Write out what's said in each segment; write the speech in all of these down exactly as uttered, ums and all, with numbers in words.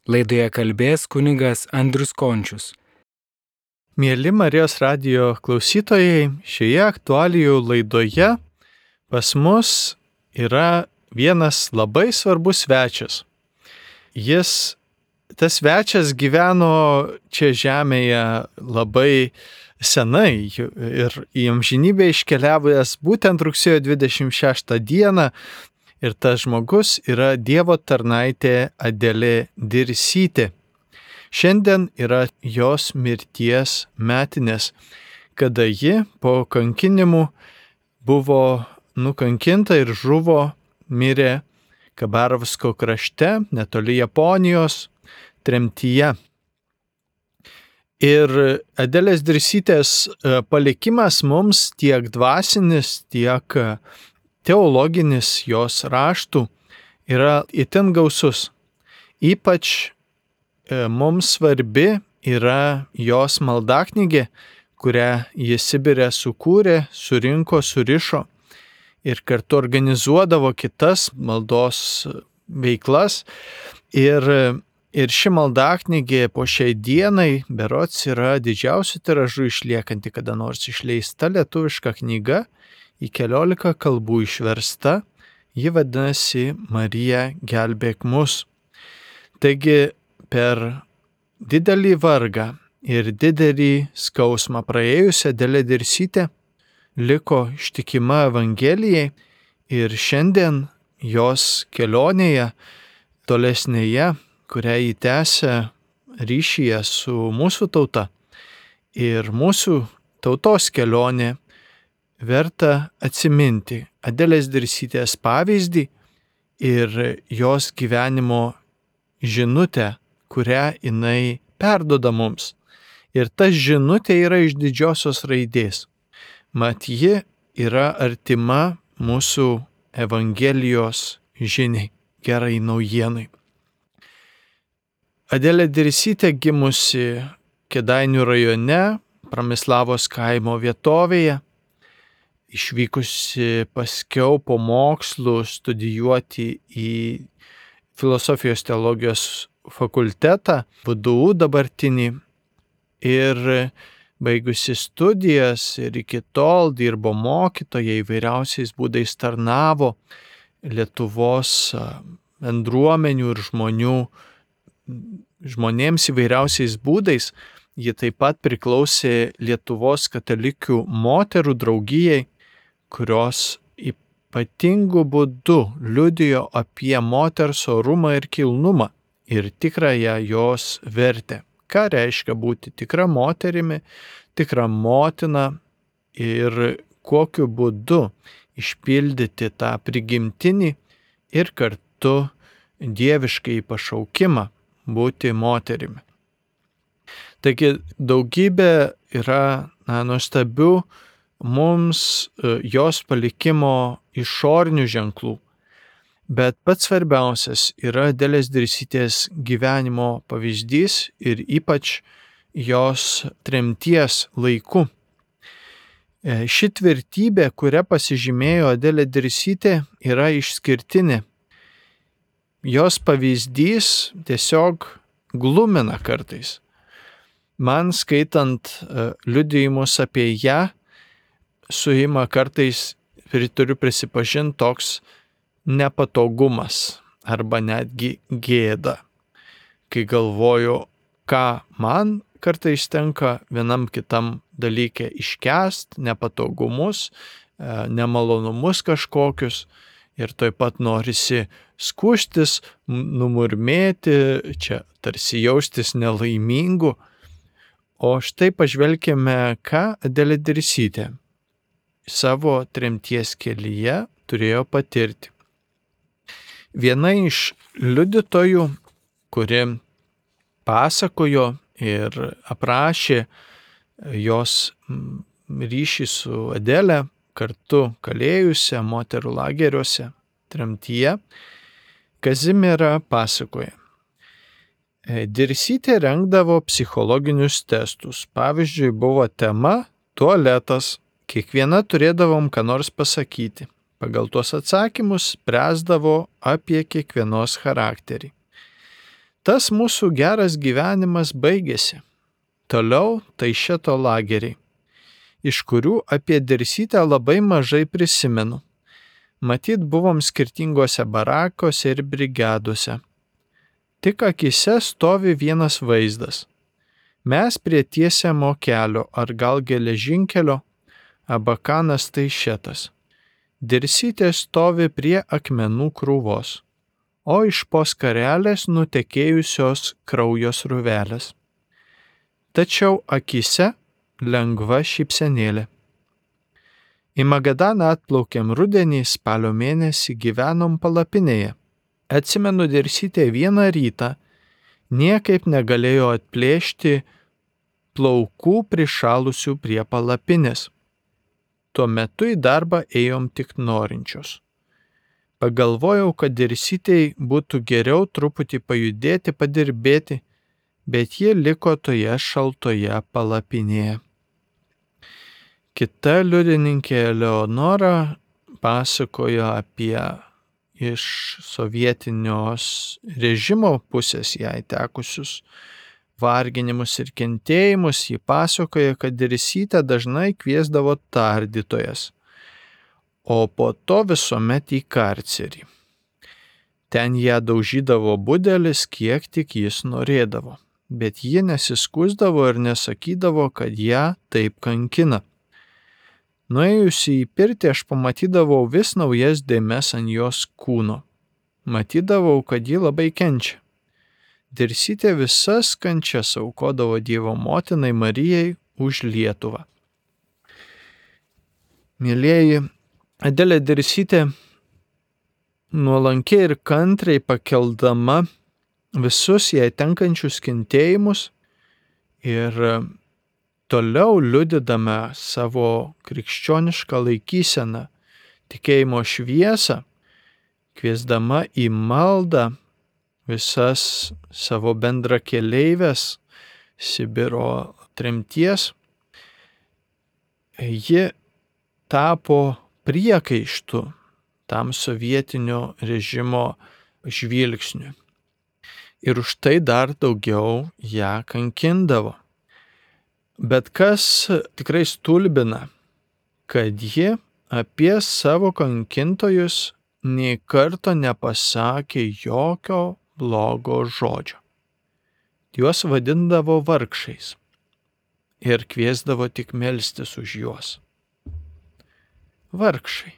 Laidoje kalbės kunigas Andrius Končius. Mėly Marijos radijo klausytojai, šioje aktualijų laidoje pas mus yra vienas labai svarbus svečias. Jis, tas svečias gyveno čia žemėje labai senai ir į amžinybę iškeliavęs būtent rugsėjo dvidešimt šeštą dieną. Ir tas žmogus yra Dievo tarnaitė Adelė Dirsytė. Šiandien yra jos mirties metinės, kada ji po kankinimų buvo nukankinta ir žuvo, mirė Kabarovsko krašte, netoli Japonijos, tremtyje. Ir Adelės Dirsytės palikimas mums tiek dvasinis, tiek teologinis jos raštų yra itin gausus. Ypač mums svarbi yra jos maldaknygė, kurią jis Sibire sukūrė, surinko, surišo ir kartu organizuodavo kitas maldos veiklas. Ir, ir ši maldaknygė po šiai dienai berods yra didžiausių tiražų išliekanti kada nors išleista lietuviška knyga, į keliolika kalbų išversta, ji vadinasi Marija gelbėk mus. Taigi per didelį vargą ir didelį skausmą praėjusią Adelė Dirsytė liko ištikima Evangelijai ir šiandien jos kelionėje tolesnėje, kurią jį tęsia ryšyje su mūsų tauta ir mūsų tautos kelionė, verta atsiminti Adelės Dirsytės pavyzdį ir jos gyvenimo žinutę, kurią jinai perduoda mums. Ir ta žinutė yra iš didžiosios raidės. Mat ji yra artima mūsų Evangelijos žiniai, gerai naujienai. Adelė Dirsytė gimusi Kėdainių rajone, Pramislavos kaimo vietovėje, išvykusi paskiau po mokslų studijuoti į filosofijos teologijos fakultetą, V D U dabartinį, ir baigusi studijas ir iki tol dirbo mokytoja, įvairiausiais būdais tarnavo Lietuvos bendruomenių ir žmonių, žmonėms įvairiausiais būdais. Ji taip pat priklausė Lietuvos katalikių moterų draugijai, kurios ypatingų būdų liudijo apie moters orumą ir kilnumą ir tikrąją jos vertę. Ką reiškia būti tikra moterimi, tikra motina ir kokiu būdu išpildyti tą prigimtinį ir kartu dieviškai pašaukimą būti moterimi. Taigi daugybė yra na, nuostabių mums jos palikimo išorinių ženklų, bet pats svarbiausias yra Adelės Dirsytės gyvenimo pavyzdys ir ypač jos tremties laiku. Ši tvirtybė, kuria pasižymėjo Adelė Dirsytė, yra išskirtinė. Jos pavyzdys tiesiog glumina kartais. Man skaitant liudijimus apie ją, suima kartais, ir turiu prisipažinti, toks nepatogumas arba netgi gėda, kai galvoju, ką man kartais tenka vienam kitam dalyke iškęst, nepatogumus, nemalonumus kažkokius, ir taip pat norisi skųstis, numurmėti, čia tarsi jaustis nelaimingu. O štai pažvelkime, ką Adelė Dirsytė savo tremties kelyje turėjo patirti. Viena iš liudytojų, kuri pasakojo ir aprašė jos ryšį su Adele, kartu kalėjusią moterų lageriuose tremtyje, Kazimiera pasakoja. Dirsytė rengdavo psichologinius testus. Pavyzdžiui, buvo tema tualetas. Kiekviena turėdavom ką nors pasakyti. Pagal tuos atsakymus spręsdavo apie kiekvienos charakterį. Tas mūsų geras gyvenimas baigėsi. Toliau Taišeto lageriai, iš kurių apie Dirsytę labai mažai prisimenu. Matyt, buvom skirtingose barakose ir brigadose. Tik akyse stovi vienas vaizdas. Mes prie tiesiamo kelio ar gal geležinkelio, Abakanas Taišetas. Dirsytė stovi prie akmenų krūvos, o iš po skarelės nutekėjusios kraujo sruvelės. Tačiau akyse lengva šypsenėlė. Į Magadaną atplaukėm rudenį, spalio mėnesį gyvenom palapinėje. Atsimenu, Dirsytė vieną rytą niekaip negalėjo atplėšti plaukų prišalusių prie palapinės. Tuo metu į darbą ėjom tik norinčios. Pagalvojau, kad Dirsytei būtų geriau truputį pajudėti, padirbėti, bet ji liko toje šaltoje palapinėje. Kita liudininkė Eleonora pasakojo apie iš sovietinios režimo pusės jai tekusius varginimus ir kentėjimus. Ji pasakoja, kad Dirsytę dažnai kviesdavo tardytojas, o po to visuomet į karcerį. Ten ją daužydavo budelis, kiek tik jis norėdavo, bet ji nesiskųsdavo ir nesakydavo, kad ją taip kankina. Nuėjusi į pirtį aš pamatydavau vis naujas dėmes ant jos kūno. Matydavau, kad ji labai kenčia. Dirsytė visas kančias aukodavo Dievo motinai Marijai už Lietuvą. Mėlieji, Adelė Dirsytė nuolankiai ir kantriai pakeldama visus jai tenkančius kentėjimus ir toliau liudydama savo krikščionišką laikyseną, tikėjimo šviesą, kviesdama į maldą visas savo bendrakeleives Sibiro tremties, ji tapo priekaištu tam sovietinio režimo žvilgsniu. Ir už tai dar daugiau ją kankindavo. Bet kas tikrai stulbina, kad ji apie savo kankintojus nei karto nepasakė jokio blogo žodžio. Juos vadindavo vargšais ir kviesdavo tik melstis už juos. Vargšai,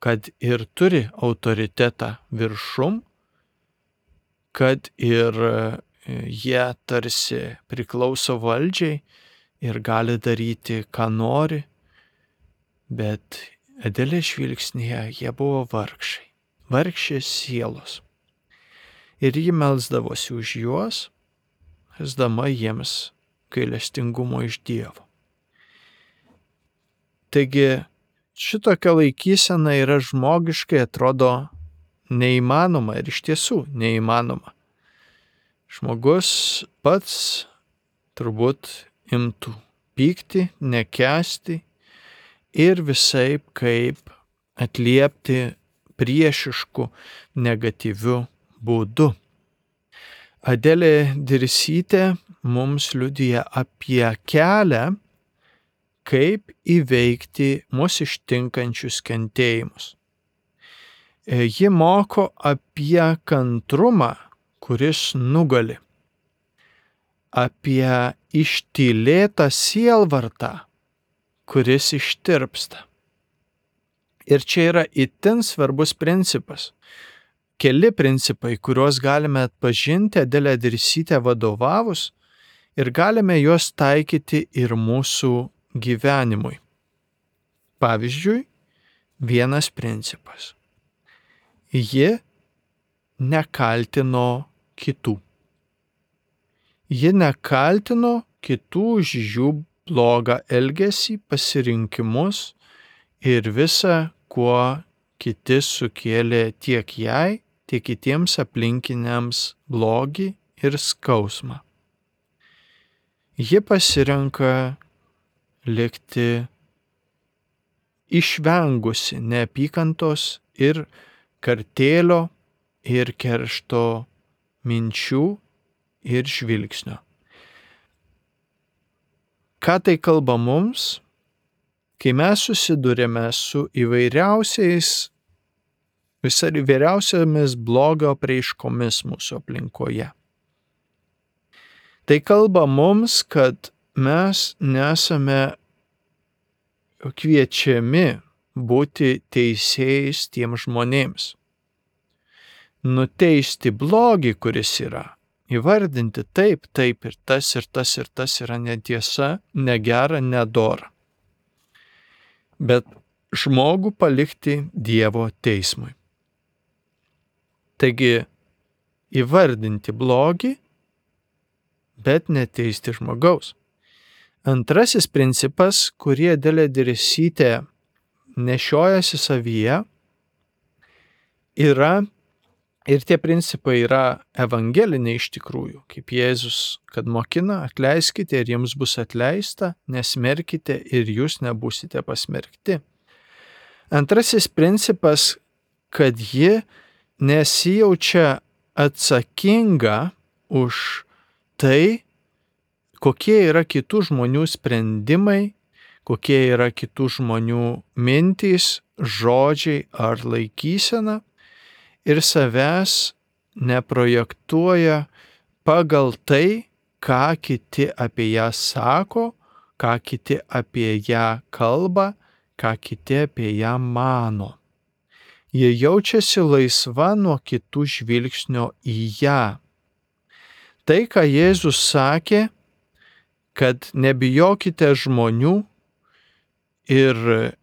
kad ir turi autoritetą viršum, kad ir jie tarsi priklauso valdžiai ir gali daryti, ką nori, bet Adelės žvilgsnėje jie buvo vargšai, vargšės sielos. Ir ji melsdavosi už juos, esdama jiems gailestingumo iš Dievo. Taigi, šitokia laikysena yra žmogiškai atrodo neįmanoma ir iš tiesų neįmanoma. Žmogus pats turbūt imtų pykti, nekęsti ir visaip kaip atliepti priešišku, negatyviu būdu. Adelė Dirsytė mums liudija apie kelią, kaip įveikti mūsų ištinkančius kentėjimus. Ji moko apie kantrumą, kuris nugali, apie ištylėtą sielvartą, kuris ištirpsta. Ir čia yra itin svarbus principas. Keli principai, kuriuos galime atpažinti Adelę Dirsytę vadovavus ir galime juos taikyti ir mūsų gyvenimui. Pavyzdžiui, vienas principas. Ji nekaltino kitų. Ji nekaltino kitų už jų blogą elgesį, pasirinkimus ir visa, kuo kiti sukėlė tiek jai, tiek kitiems aplinkiniams blogį ir skausmą. Ji pasirenka likti išvengusi neapykantos ir kartėlio ir keršto minčių ir žvilgsnio. Ką tai kalba mums, kai mes susidurėme su įvairiausiais, visai įvairiausiamis blogio apraiškomis mūsų aplinkoje? Tai kalba mums, kad mes nesame kviečiami būti teisėjais tiem žmonėms. Nuteisti blogį, kuris yra. Įvardinti taip, taip ir tas ir tas ir tas yra netiesa, negera, nedora. Bet žmogų palikti Dievo teismui. Taigi, įvardinti blogį, bet neteisti žmogaus. Antrasis principas, kurį Adelė Dirsytė nešiojasi savyje, yra, ir tie principai yra evangeliniai iš tikrųjų, kaip Jėzus, kad mokina, atleiskite ir jums bus atleista, nesmerkite ir jūs nebūsite pasmerkti. Antrasis principas, kad ji nesijaučia atsakinga už tai, kokie yra kitų žmonių sprendimai, kokie yra kitų žmonių mintys, žodžiai ar laikysena, ir savęs neprojektuoja pagal tai, ką kiti apie ją sako, ką kiti apie ją kalba, ką kiti apie ją mano. Jie jaučiasi laisva nuo kitų žvilgsnio į ją. Tai, ką Jėzus sakė, kad nebijokite žmonių ir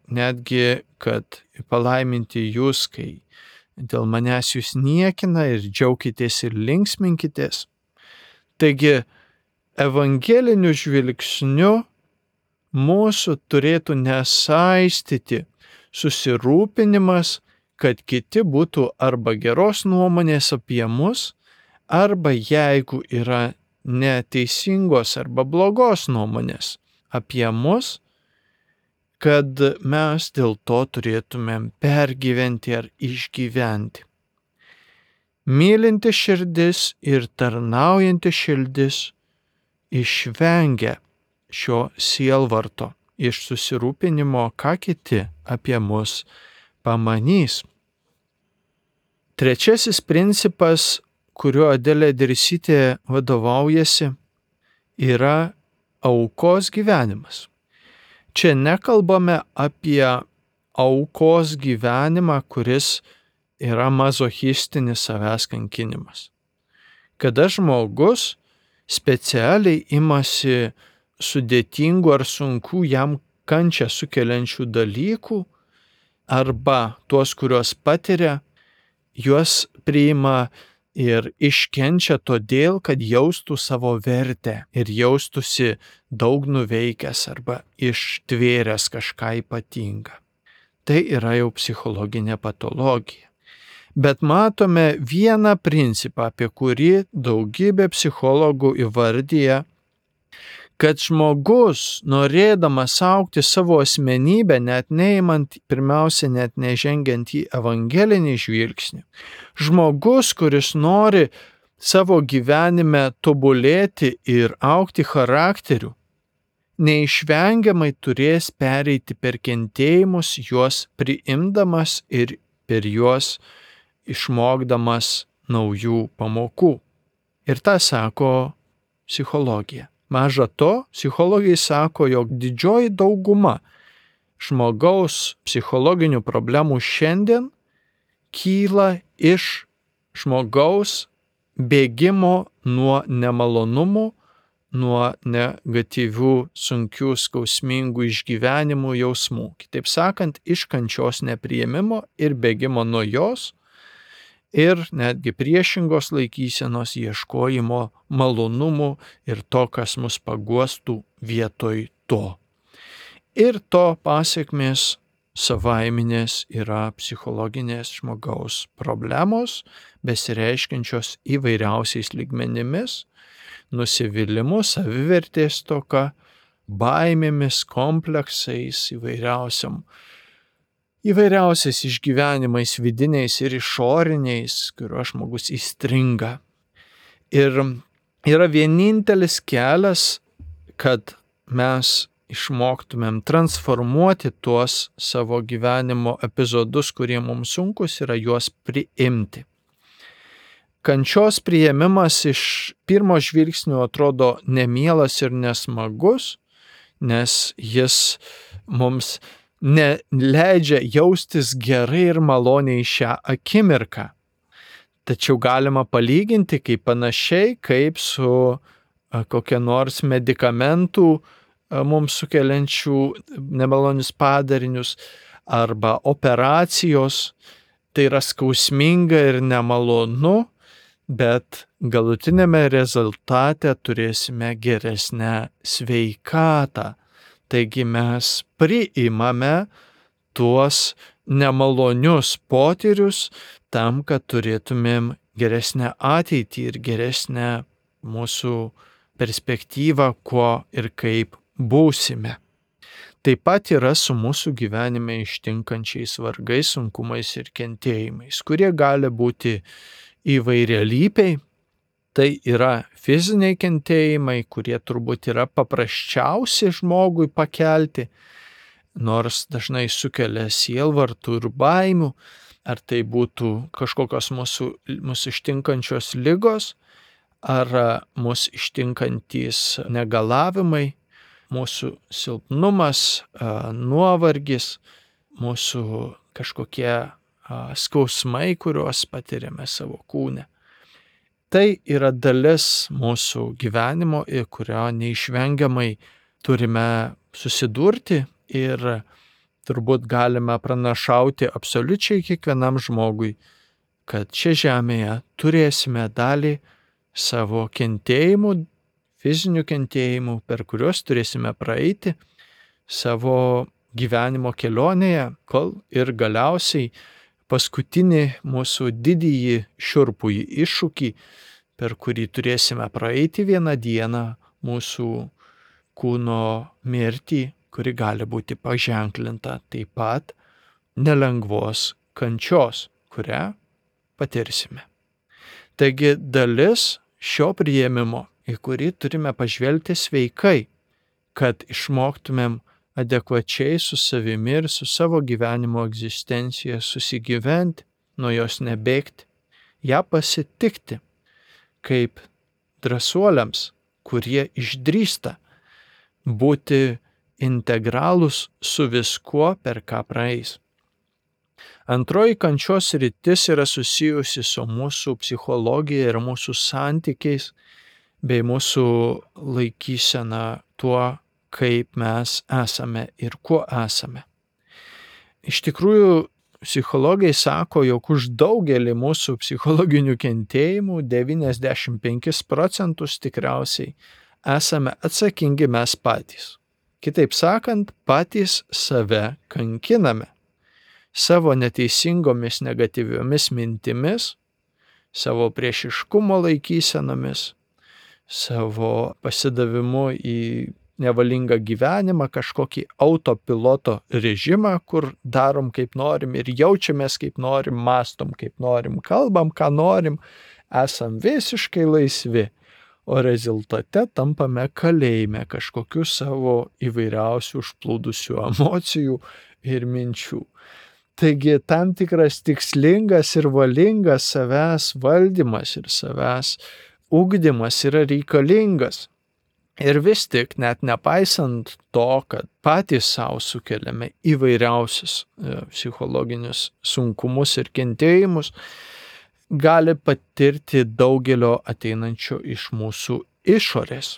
netgi, kad palaiminti jūs, kai dėl manęs jūs niekina ir džiaukitės ir linksminkitės. Taigi, evangeliniu žvilgsniu mūsų turėtų nesaistyti susirūpinimas, kad kiti būtų arba geros nuomonės apie mus, arba jeigu yra neteisingos arba blogos nuomonės apie mus, kad mes dėl to turėtumėm pergyventi ar išgyventi. Mylinti širdis ir tarnaujanti širdis išvengia šio sielvarto iš susirūpinimo, ką kiti apie mus pamanys. Trečiasis principas, kuriuo Adelė Dirsytė vadovaujasi, yra aukos gyvenimas. Čia nekalbame apie aukos gyvenimą, kuris yra mazochistinis savęs kankinimas. Kada žmogus specialiai imasi sudėtingų ar sunkių jam kančią sukeliančių dalykų, arba tuos, kuriuos patiria, juos priima ir iškenčia todėl, kad jaustų savo vertę ir jaustųsi daug nuveikęs arba ištvėręs kažką ypatingą. Tai yra jau psichologinė patologija. Bet matome vieną principą, apie kurį daugybė psichologų įvardyja, kad žmogus, norėdamas augti savo asmenybę, net neimant, pirmiausia, net nežengiant į evangelinį žvilgsnį, žmogus, kuris nori savo gyvenime tobulėti ir augti charakteriu, neišvengiamai turės pereiti per kentėjimus, juos priimdamas ir per juos išmokdamas naujų pamokų. Ir tą sako psichologija. Maža to, psichologai sako, jog didžioji dauguma žmogaus psichologinių problemų šiandien kyla iš žmogaus bėgimo nuo nemalonumų, nuo negatyvių, sunkių, skausmingų išgyvenimų jausmų. Kitaip sakant, iš kančios nepriėmimo ir bėgimo nuo jos, ir netgi priešingos laikysenos ieškojimo malonumų ir to, kas mus paguostų vietoj to. Ir to pasiekmės savaiminės yra psichologinės žmogaus problemos, besireiškiančios įvairiausiais lygmenimis, nusivylimu, savivertės stoka, baimėmis, kompleksais, įvairiausiam įvairiausiais išgyvenimais vidiniais ir išoriniais, kuriuo žmogus įstringa. Ir yra vienintelis kelias, kad mes išmoktumėm transformuoti tuos savo gyvenimo epizodus, kurie mums sunkus, yra juos priimti. Kančios priėmimas iš pirmo žvilgsnio atrodo nemielas ir nesmagus, nes jis mums neleidžia jaustis gerai ir maloniai šią akimirką. Tačiau galima palyginti kaip panašiai kaip su kokia nors medikamentų mums sukeliančių nemalonius padarinius arba operacijos. Tai yra skausminga ir nemalonu, bet galutinėme rezultate turėsime geresnę sveikatą. Taigi mes priimame tuos nemalonius potyrius tam, kad turėtumėm geresnę ateitį ir geresnę mūsų perspektyvą, kuo ir kaip būsime. Taip pat yra su mūsų gyvenime ištinkančiais vargais, sunkumais ir kentėjimais, kurie gali būti įvairialypiai. Tai yra fiziniai kentėjimai, kurie turbūt yra paprasčiausi žmogui pakelti, nors dažnai sukelia sielvartų ir baimių, ar tai būtų kažkokios mūsų, mūsų ištinkančios ligos, ar mūsų ištinkantys negalavimai, mūsų silpnumas, nuovargis, mūsų kažkokie skausmai, kuriuos patiriame savo kūne. Tai yra dalis mūsų gyvenimo, į kurio neišvengiamai turime susidurti ir turbūt galime pranašauti absoliučiai kiekvienam žmogui, kad čia žemėje turėsime dalį savo kentėjimų, fizinių kentėjimų, per kuriuos turėsime praeiti savo gyvenimo kelionėje, kol ir galiausiai paskutinį mūsų didįjį šiurpųjį iššūkį, per kurį turėsime praeiti vieną dieną mūsų kūno mirtį, kuri gali būti paženklinta taip pat nelengvos kančios, kurią patirsime. Taigi dalis šio priėmimo, į kurį turime pažvelgti sveikai, kad išmoktumėm adekvačiai su savimi ir su savo gyvenimo egzistencija susigyventi, nuo jos nebėgti, ją pasitikti kaip drąsuoliams, kurie išdrįsta būti integralūs su viskuo, per ką praeis. Antroji kančios sritis yra susijusi su mūsų psichologija ir mūsų santykiais, bei mūsų laikysena tuo, kaip mes esame ir kuo esame. Iš tikrųjų, psichologai sako, jog už daugelį mūsų psichologinių kentėjimų devyniasdešimt penkis procentus tikriausiai esame atsakingi mes patys. Kitaip sakant, patys save kankiname savo neteisingomis negatyviomis mintimis, savo priešiškumo laikysenomis, savo pasidavimu į nevalingą gyvenimą, kažkokį autopiloto režimą, kur darom kaip norim ir jaučiamės kaip norim, mastom kaip norim, kalbam ką norim, esam visiškai laisvi, o rezultate tampame kalėjime kažkokių savo įvairiausių užplūdusių emocijų ir minčių. Taigi tam tikras tikslingas ir valingas savęs valdymas ir savęs ugdymas yra reikalingas. Ir vis tik, net nepaisant to, kad patys savo sukeliame įvairiausius psichologinius sunkumus ir kentėjimus, gali patirti daugelio ateinančio iš mūsų išorės.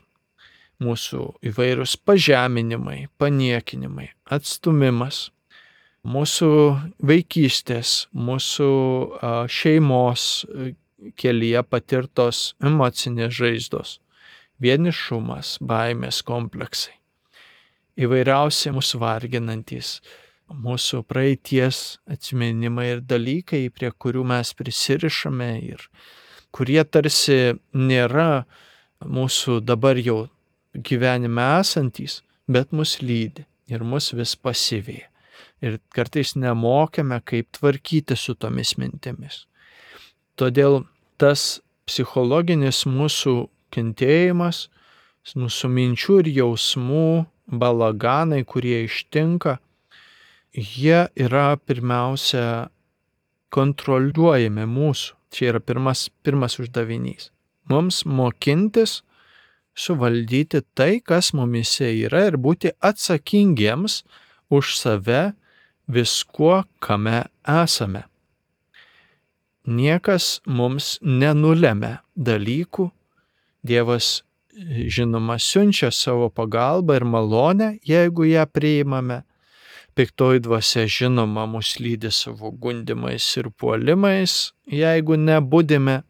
Mūsų įvairūs pažeminimai, paniekinimai, atstumimas, mūsų vaikystės, mūsų šeimos kelyje patirtos emocinės žaizdos, vienišumas, baimės kompleksai, įvairiausi mūsų varginantys, mūsų praeities atsiminimai ir dalykai, prie kurių mes prisirišame ir kurie tarsi nėra mūsų dabar jau gyvenime esantys, bet mus lydi ir mus vis pasiveja. Ir kartais nemokame, kaip tvarkyti su tomis mintimis. Todėl tas psichologinis mūsų kentėjimas, mūsų minčių ir jausmų balaganai, kurie ištinka, jie yra pirmiausia kontroliuojami mūsų. Čia yra pirmas, pirmas uždavinys. Mums mokintis suvaldyti tai, kas mumise yra ir būti atsakingiems už save viskuo, kame esame. Niekas mums nenulemia dalykų. Dievas, žinoma, siunčia savo pagalbą ir malonę, jeigu ją priimame. Piktoji dvasia, žinoma, mus lydi savo gundimais ir puolimais, jeigu nebudime,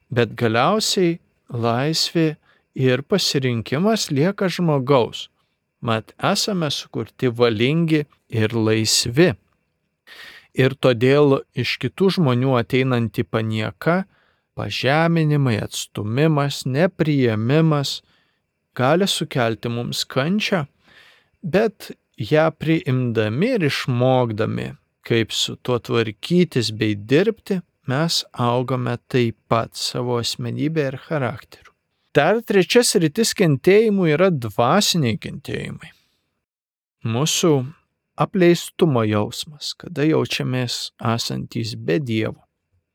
bet galiausiai laisvė ir pasirinkimas lieka žmogaus. Mat esame sukurti valingi ir laisvi. Ir todėl iš kitų žmonių ateinanti panieka, pažeminimai, atstumimas, nepriėmimas gali sukelti mums kančią, bet ją priimdami ir išmokdami, kaip su tuo tvarkytis bei dirbti, mes augame taip pat savo asmenybę ir charakteriu. Dar trečia sritis kentėjimų yra dvasiniai kentėjimai. Mūsų apleistumo jausmas, kada jaučiamės esantys be Dievo.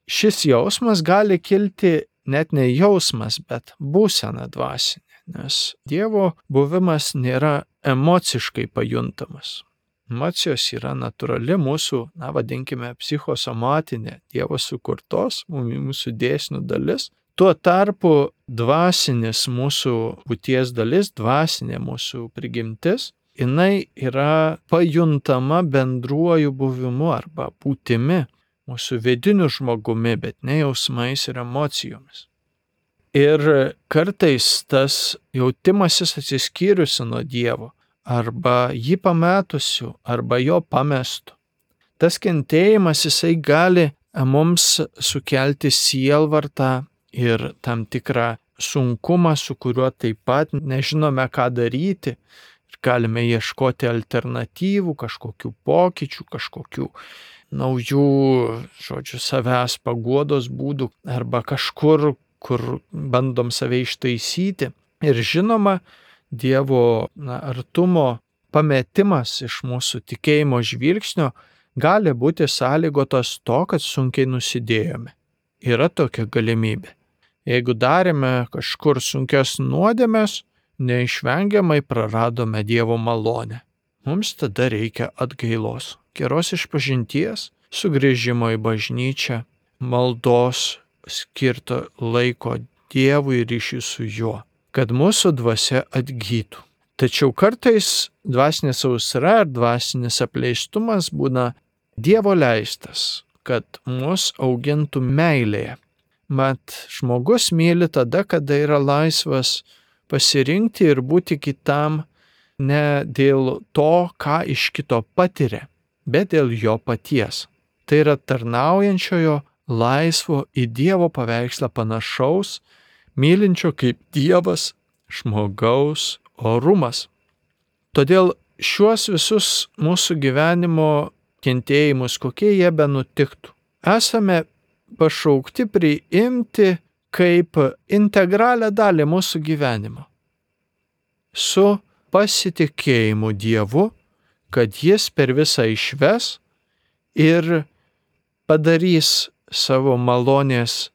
Šis jausmas gali kilti net ne jausmas, bet būsena dvasinė, nes Dievo buvimas nėra emociškai pajuntamas. Emocijos yra natūrali mūsų, na vadinkime, psichosomatinė Dievo sukurtos, mūsų dėsnių dalis. Tuo tarpu dvasinis mūsų būties dalis, dvasinė mūsų prigimtis, jinai yra pajuntama bendruoju buvimu arba būtimi, mūsų vidiniu žmogumi, bet ne jausmais ir emocijomis. Ir kartais tas jautimasis atsiskyrusi nuo Dievo, arba jį pametusių, arba jo pamestų. Tas kentėjimas jisai gali mums sukelti sielvartą ir tam tikrą sunkumą, su kuriuo taip pat nežinome, ką daryti. Ir galime ieškoti alternatyvų, kažkokių pokyčių, kažkokių naujų, žodžiu, savęs paguodos būdų arba kažkur, kur bandom save ištaisyti. Ir žinoma, Dievo na, artumo pametimas iš mūsų tikėjimo žvilgsnio gali būti sąlygotas to, kad sunkiai nusidėjome. Yra tokia galimybė. Jeigu darėme kažkur sunkias nuodėmes, neišvengiamai praradome Dievo malonę. Mums tada reikia atgailos, geros išpažinties, sugrįžimo į bažnyčią, maldos, skirto laiko Dievui ir ryšiui su juo, kad mūsų dvasia atgytų. Tačiau kartais dvasinė sausra ar dvasinis apleistumas būna Dievo leistas, kad mus augintų meilėje. Mat, žmogus myli tada, kada yra laisvas pasirinkti ir būti kitam ne dėl to, ką iš kito patiria, bet dėl jo paties. Tai yra tarnaujančiojo, laisvo į Dievo paveikslą panašaus, mylinčio kaip Dievas žmogaus orumas. Todėl šiuos visus mūsų gyvenimo kentėjimus, kokie jie benutiktų, esame pašaukti priimti kaip integralią dalį mūsų gyvenimo. Su pasitikėjimu Dievu, kad Jis per visą išves ir padarys savo malonės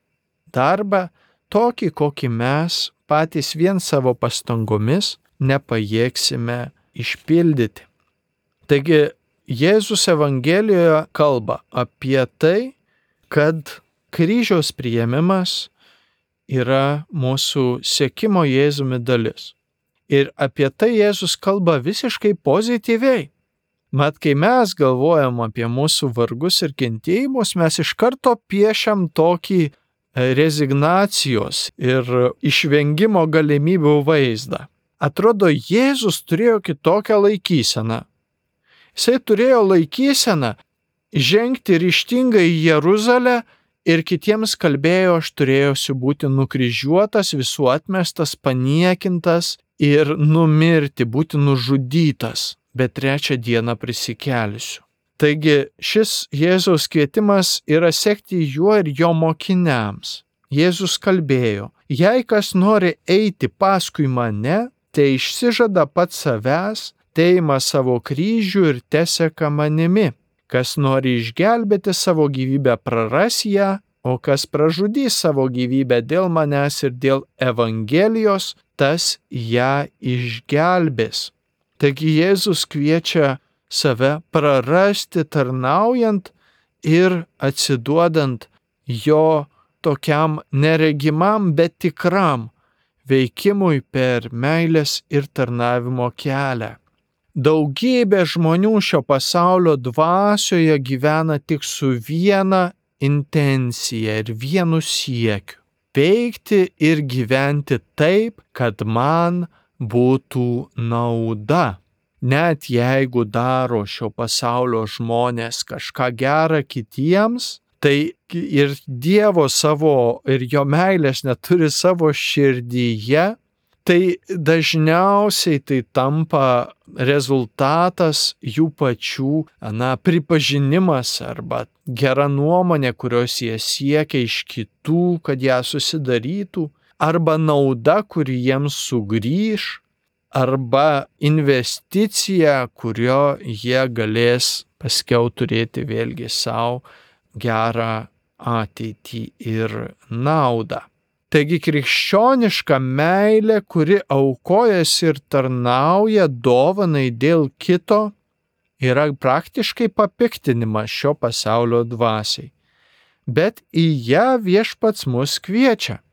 darbą tokį, kokį mes patys vien savo pastangomis nepajėgsime išpildyti. Taigi Jėzus Evangelijoje kalba apie tai, kad kryžiaus priėmimas yra mūsų sekimo Jėzumi dalis. Ir apie tai Jėzus kalba visiškai pozityviai. Mat, kai mes galvojam apie mūsų vargus ir kentėjimus, mes iš karto piešiam tokį rezignacijos ir išvengimo galimybių vaizdą. Atrodo, Jėzus turėjo kitokią laikyseną. Jisai turėjo laikyseną žengti ryžtingai į Jeruzalę ir kitiems kalbėjo, aš turėjusiu būti nukryžiuotas, visų atmestas, paniekintas ir numirti, būti nužudytas, bet trečią dieną prisikelsiu. Taigi šis Jėzaus kvietimas yra sekti juo ir jo mokiniams. Jėzus kalbėjo, Jei kas nori eiti paskui mane, tai išsižada pats savęs, teima savo kryžių ir teseka manimi. Kas nori išgelbėti savo gyvybę, praras ją, o kas pražudys savo gyvybę dėl manęs ir dėl Evangelijos, tas ją išgelbės. Taigi Jėzus kviečia save prarasti tarnaujant ir atsiduodant jo tokiam neregimam, bet tikram veikimui per meilės ir tarnavimo kelią. Daugybė žmonių šio pasaulio dvasioje gyvena tik su viena intencija ir vienu siekiu – veikti ir gyventi taip, kad man būtų nauda. Net jeigu daro šio pasaulio žmonės kažką gerą kitiems, tai ir Dievo savo ir jo meilės neturi savo širdyje, tai dažniausiai tai tampa rezultatas jų pačių na, pripažinimas arba gera nuomonė, kurios jie siekia iš kitų, kad ją susidarytų, arba nauda, kuri jiems sugrįž, arba investicija, kurio jie galės paskiau turėti vėlgi savo gerą ateitį ir naudą. Taigi krikščioniška meilė, kuri aukojasi ir tarnauja dovanai dėl kito, yra praktiškai papiktinimas šio pasaulio dvasiai. Bet į ją Viešpats mus kviečia.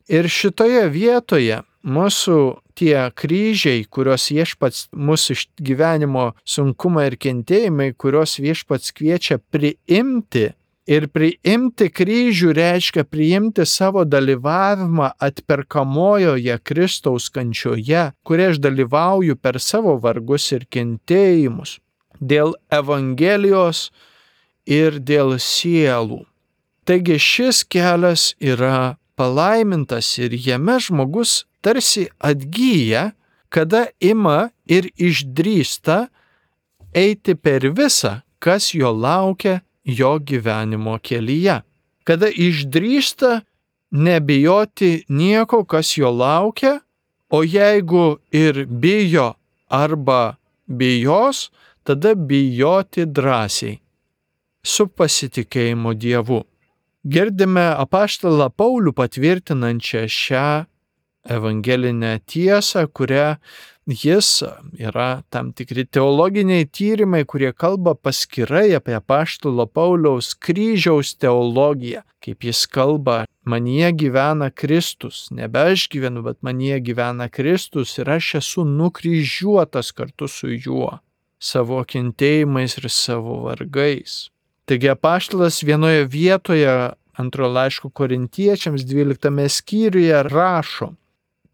Ir šitoje vietoje mūsų tie kryžiai, kurios Viešpats mūsų iš gyvenimo sunkumai ir kentėjimai, kurios Viešpats kviečia priimti, ir priimti kryžių reiškia priimti savo dalyvavimą atperkamojoje Kristaus kančioje, kuria aš dalyvauju per savo vargus ir kentėjimus, dėl Evangelijos ir dėl sielų. Taigi šis kelias yra palaimintas ir jame žmogus tarsi atgyja, kada ima ir išdrįsta eiti per visą, kas jo laukia jo gyvenimo kelyje. Kada išdrįsta nebijoti nieko, kas jo laukia, o jeigu ir bijo arba bijos, tada bijoti drąsiai, su pasitikėjimu Dievu. Girdime apaštalą Paulių patvirtinančią šią evangelinę tiesą, kurią jis yra tam tikri teologiniai tyrimai, kurie kalba paskirai apie apaštalo Pauliaus kryžiaus teologiją, kaip jis kalba, manyje gyvena Kristus, nebe aš gyvenu, bet manyje gyvena Kristus ir aš esu nukryžiuotas kartu su juo, savo kentėjimais ir savo vargais. Taigi apaštalas vienoje vietoje antro laiško Korintiečiams dvyliktame skyriuje rašo: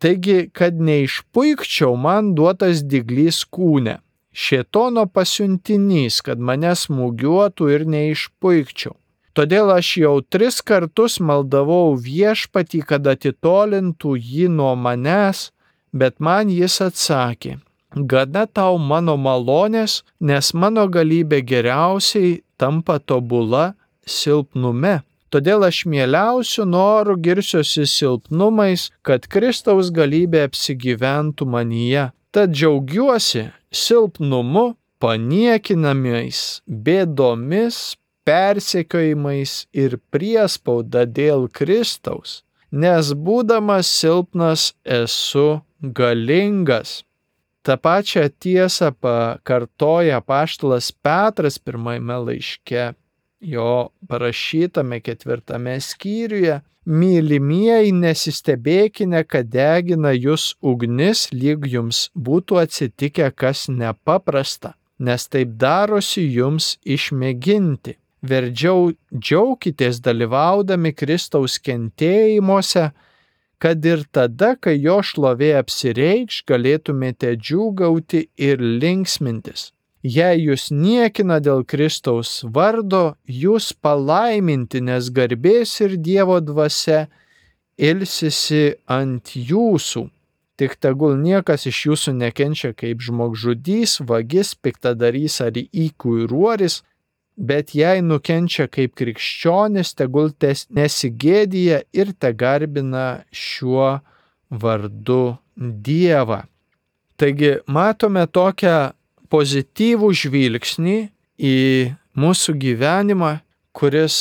taigi, kad neišpuikčiau, man duotas dyglys kūne, šėtono pasiuntinys, kad mane smūgiuotų ir neišpuikčiau. Todėl aš jau tris kartus maldavau Viešpatį, kad atitolintų jį nuo manęs, bet man jis atsakė: gana tau mano malonės, nes mano galybė geriausiai tampa tobula silpnume. Todėl aš mieliausiu noru girsiuosi silpnumais, kad Kristaus galybė apsigyventų manyje. Tad džiaugiuosi silpnumu, paniekinamais, bėdomis, persekiojimais ir priespauda dėl Kristaus, nes būdamas silpnas esu galingas. Ta pačią tiesą pakartoja apaštalas Petras pirmajame laiške, jo parašytame ketvirtame skyriuje: mylimieji, nesistebėkime, kad degina jūs ugnis, lyg jums būtų atsitikę kas nepaprasta, nes taip darosi jums išmėginti. Verdžiau džiaukitės dalyvaudami Kristaus kentėjimuose, kad ir tada, kai jo šlovė apsireikš, galėtumėte džiūgauti ir linksmintis. Jei jūs niekina dėl Kristaus vardo, jūs palaiminti, nes garbės ir Dievo dvasia ilsisi ant jūsų. Tik tegul niekas iš jūsų nekenčia kaip žmogžudys, vagis, piktadarys ar įkūruoris, bet jei nukenčia kaip krikščionis, tegul nesigėdija ir tegarbina šiuo vardu Dievą. Taigi matome tokią pozityvų žvilgsnį į mūsų gyvenimą, kuris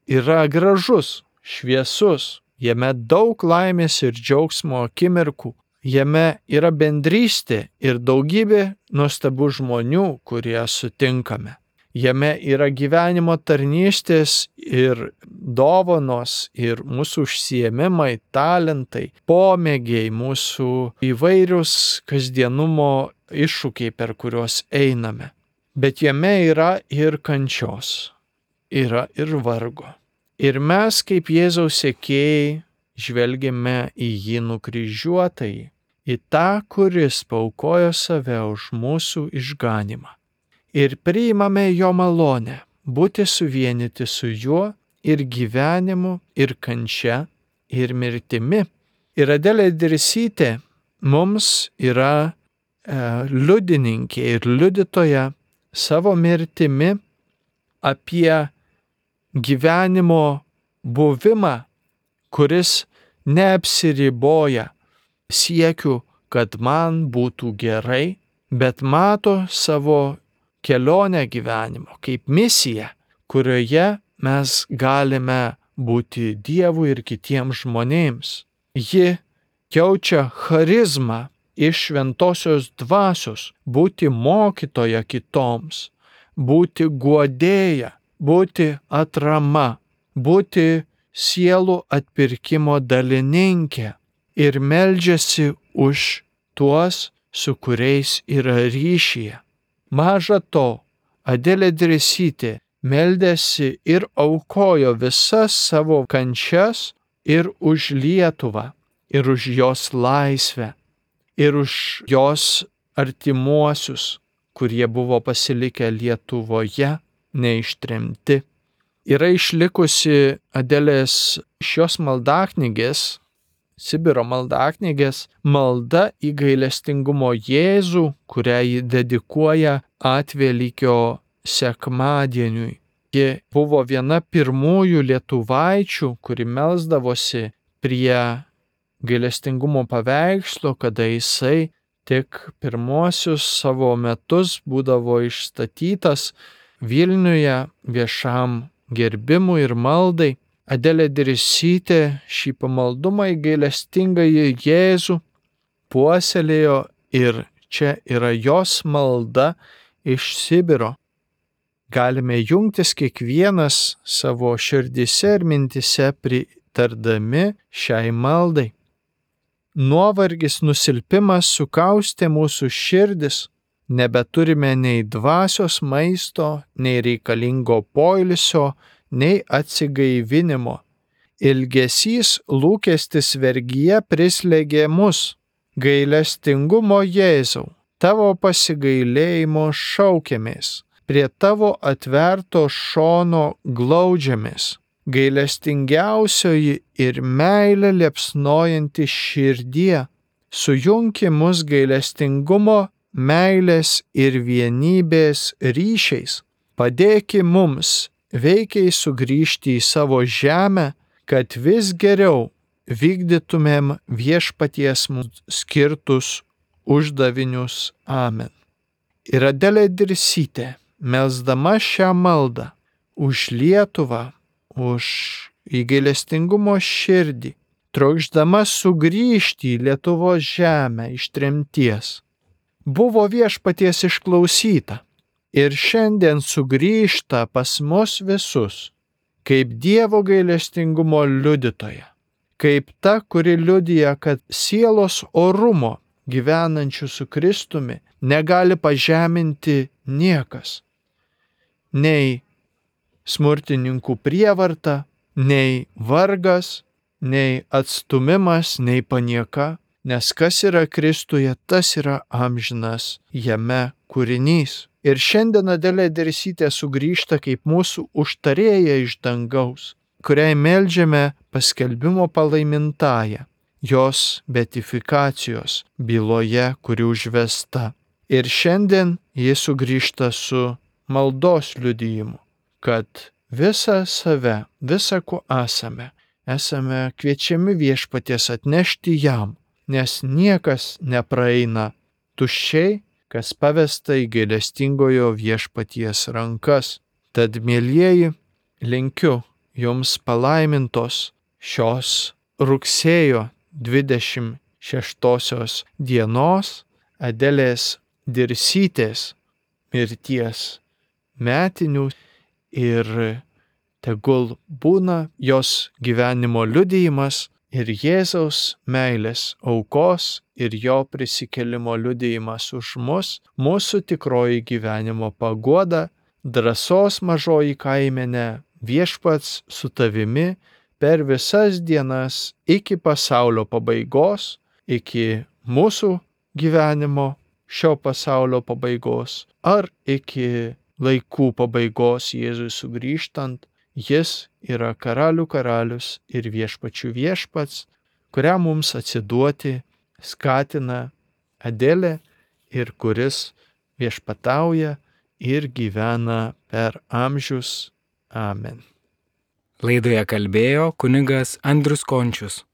yra gražus, šviesus, jame daug laimės ir džiaugsmo akimirkų, jame yra bendrystė ir daugybė nuostabių žmonių, kurie sutinkame. Jame yra gyvenimo tarnystės ir dovanos ir mūsų užsiėmimai, talentai, pomėgiai, mūsų įvairius kasdienumo iššūkiai, per kuriuos einame. Bet jame yra ir kančios, yra ir vargo. Ir mes kaip Jėzaus sekėjai žvelgiame į jį nukryžiuotąjį, į tą, kuris paaukojo save už mūsų išganymą. Ir priimame jo malonę, būti suvienyti su juo ir gyvenimu, ir kančia, ir mirtimi. Ir Adelė Dirsytė mums yra e, liudininkė ir liudytoja savo mirtimi apie gyvenimo buvimą, kuris neapsiriboja siekiu, kad man būtų gerai, bet mato savo kelionę gyvenimo kaip misiją, kurioje mes galime būti Dievui ir kitiems žmonėms. Ji jaučia charizmą iš šventosios dvasios, būti mokytoja kitoms, būti guodėja, būti atrama, būti sielų atpirkimo dalininkė ir meldžiasi už tuos, su kuriais yra ryšyje. Maža to, Adelė Dirsytė meldėsi ir aukojo visas savo kančias ir už Lietuvą, ir už jos laisvę, ir už jos artimuosius, kurie buvo pasilikę Lietuvoje, neištremti. Yra išlikusi Adelės šios maldaknygės, Sibiro maldaknygės, malda į gailestingumo Jėzų, kurią ji dedikuoja Atvelykio sekmadieniui. Ji buvo viena pirmųjų lietuvaičių, kuri melsdavosi prie gailestingumo paveikslo, kada jisai tik pirmosius savo metus būdavo išstatytas Vilniuje viešam gerbimui ir maldai. Adelė Dirsytė šį pamaldumą į gailestingąjį Jėzų puoselėjo ir čia yra jos malda iš Sibiro. Galime jungtis kiekvienas savo širdyse ir mintise pritardami šiai maldai. Nuovargis, nusilpimas sukaustė mūsų širdis, nebeturime nei dvasios maisto, nei reikalingo poilsio, nei atsigaivinimo. Ilgesys, lūkestis, vergyje prislėgė mus. Gailestingumo Jėzau, tavo pasigailėjimo šaukiamės, prie tavo atverto šono glaudžiamės. Gailestingiausioji ir meilė liepsnojanti širdie, sujunki mus gailestingumo, meilės ir vienybės ryšiais. Padėki mums veikiai sugrįžti į savo žemę, kad vis geriau vykdytumėm viešpaties mums skirtus uždavinius. Amen. Ir Adelė Dirsytė, melsdama šią maldą už Lietuvą, už gailestingumo širdį, trokšdama sugrįžti į Lietuvos žemę iš tremties, buvo viešpaties išklausyta. Ir šiandien sugrįžta pas mus visus, kaip Dievo gailestingumo liudytoja, kaip ta, kuri liudija, kad sielos orumo gyvenančių su Kristumi negali pažeminti niekas. Nei smurtininkų prievarta, nei vargas, nei atstumimas, nei panieka, nes kas yra Kristuje, tas yra amžinas jame kūrinys. Ir šiandien Adelė Dirsytė sugrįžta kaip mūsų užtarėja iš dangaus, kuriai meldžiame paskelbimo palaimintąją, jos beatifikacijos byloje, kuri užvesta. Ir šiandien ji sugrįžta su maldos liudijimu. kad visą save, visą, kuo esame, esame kviečiami Viešpaties atnešti jam, nes niekas nepraeina tuščiai, kas pavesta į gailestingojo Viešpaties rankas. Tad, mielieji, linkiu jums palaimintos šios rugsėjo dvidešimt šeštosios dienos Adelės Dirsytės mirties metinių ir tegul būna jos gyvenimo liudijimas ir Jėzaus meilės aukos ir jo prisikėlimo liudijimas už mus, mūsų tikroji gyvenimo paguoda, drąsos mažoji kaimenė, Viešpats su tavimi per visas dienas iki pasaulio pabaigos, iki mūsų gyvenimo šio pasaulio pabaigos ar iki laikų pabaigos Jėzui sugrįžtant. Jis yra karalių karalius ir viešpačių viešpats, kuriam mums atsiduoti skatina Adelė ir kuris viešpatauja ir gyvena per amžius. Amen. Laidoje kalbėjo kunigas Andrius Končius.